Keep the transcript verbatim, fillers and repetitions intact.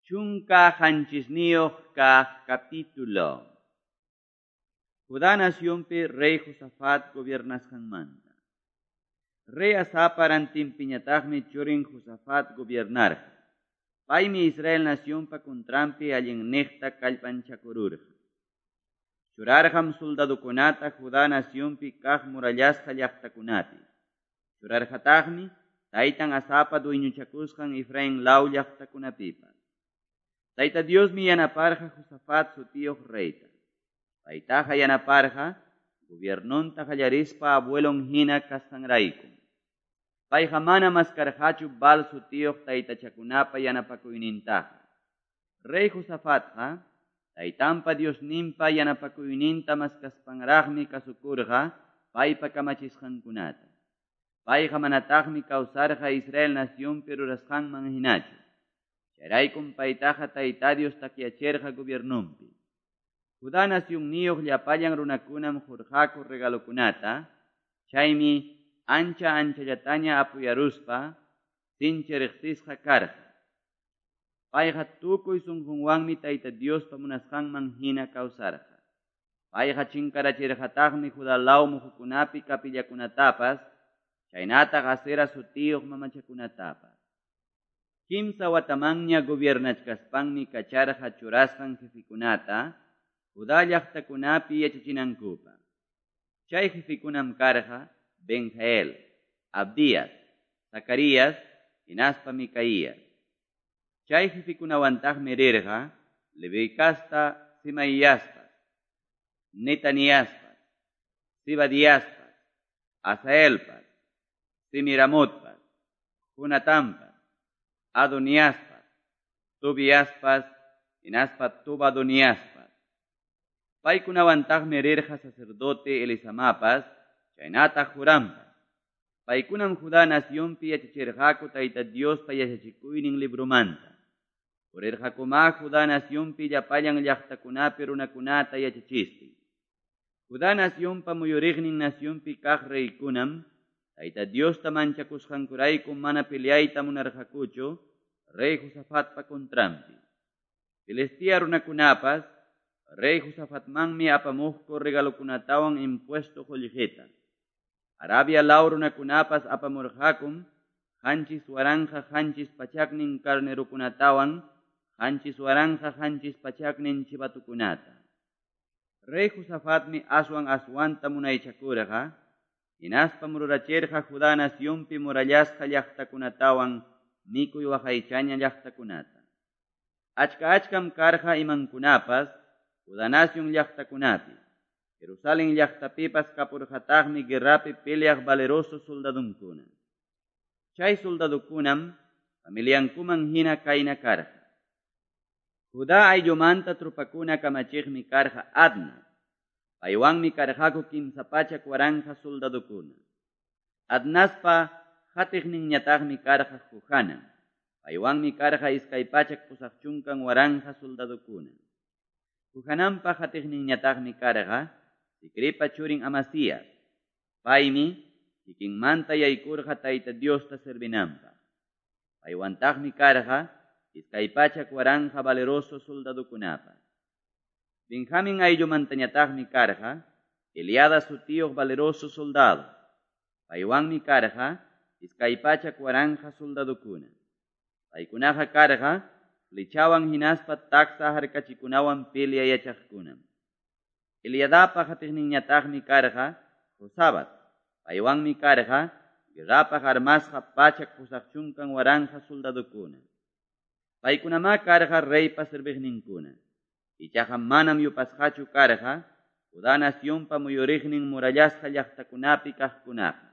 Chunka qanchisniyuq kaq capítulo. Judá nacionpi rey Josafat gobiernasqanmanta. Rey Asapa rantinpiñataqmi churin Josafat gobiernarqa. Paymi Israel nacionpa contranpi allinniqta kallpanchakururqa. Churarqam soldadokunata Judá nacionpi kaq murallasqa llaqtakunapi. Churarqataqmi taytan Asapa dueñochakusqan Efraín law llaqtakunapipas. Tayta Diosmi yanaparqa Josafat sutiyuq reyta. Paytaqa yanaparqa gobiernonta qallarispa abuelon hina kasqanraykum. Payqa mana maskarqachu Baal sutiyuq taytachakunapa yanapakuynintaqa. Rey Josafatqa taytanpa Diosninpa yanapakuyninta maskaspanraqmi kasukurqa paypa kamachisqankunata. Payqa manataqmi kawsarqa Israel nacionpi rurasqanman hinachu. Chayraykum paytaqa Tayta Dios takyachirqa gobiernonpi. Judá nacionniyuq llapallan runakunam qurqaku regalokunata, chaymi ancha anchallataña apuyaruspa sinchi riqsisqa karqa. Payqa tukuy sunqunwanmi Tayta Diospa munasqanman hina kawsarqa. Payqa chinkarachirqataqmi Judá law muhukunapi kapillakunatapas, chaynataq Asera sutiyuq mamachakunatapas. Kimsa watamanña gobiernachkaspanmi kacharqa churasqan jefikunata Judá llaqtakunapi yachachinankupaq. Chay jefikunam karqa Benjael, Abdías, Zacarías, hinaspa Micaías. Chay jefikunawantaqmi rirqa Leví casta Simaiaspas, Netaniaspas, Zibadiaspas, Asaelpas, Semiramotpas, Jonatanpas, Adoniaspas, Tobiaspas, hinaspa Tobadoniaspas. Paykunawantaqmi rirqa sacerdote Elisamapas, chaynataq Jorampas. Paykunam Judá nacionpi yachachirqaku Tayta Diospa yachachikuynin libromanta. Purirqakumá Judá nacionpi llapallan llaqtakunapi runakunata yachachistin. Judá nacionpa muyuriqnin nacionpi kaq reykunam Tayta Diosta manchakusqankurayku mana peleayta munarqakuchu rey Josafatpa contranpi. Filistea runakunapas rey Josafatmanmi apamuqku regalokunatawan impuesto qullqita. Arabia law runakunapas apamurqakum qanchis waranqa qanchis pachaknin carnerokunatawan qanchis waranqa qanchis pachaknin chivatukunata. Rey Josafatmi aswan aswanta munaychakurqa, hinaspa mururachirqa Judá nacionpi murallasqa llaqtakunatawan mikuy waqaychaña llaqtakunata. Achka achkam karqa imankunapas Judá nacion llaqtakunapi. Jerusalén llaqtapipas kapurqataqmi guerrapi peleaq valeroso soldadunkuna. Chay soldadukunam familiankuman hina kayna karqa. Judá ayllumanta trupakuna kamachiqmi karqa Adna. Paywanmi karqaku kimsa pachak waranqa soldadukuna. Adnaspa qatiqninñataqmi karqa Johanan. Paywanmi karqa iskay pachak pusaq chunkan waranqa soldadukuna. Johananpa qatiqninñataqmi karqa Zicripa churin Amasías. Paymi kikinmanta yaykurqa Tayta Diosta servinanpaq. Paywantaqmi karqa iskay pachak waranqa valeroso soldadukunapas. Benjamín ayllumantañataqmi karqa Eliada sutiyuq valeroso soldado. Paywanmi karqa iskay pachak waranqa soldadukuna. Paykunaqa karqa flechawan hinaspa taksa harkachikunawan pelea yachaqkunam. Eliadapa qatiqninñataqmi karqa Josabat. Paywanmi karqa guerrapaq armasqa pachak pusaq chunkan waranqa soldadukuna. Paykunamá karqa reypa serviqninkuna. Ichaqa manam yupasqachu karqa Judá nacionpa muyuriqnin murallasqa llaqtakunapi kaqkunaqa.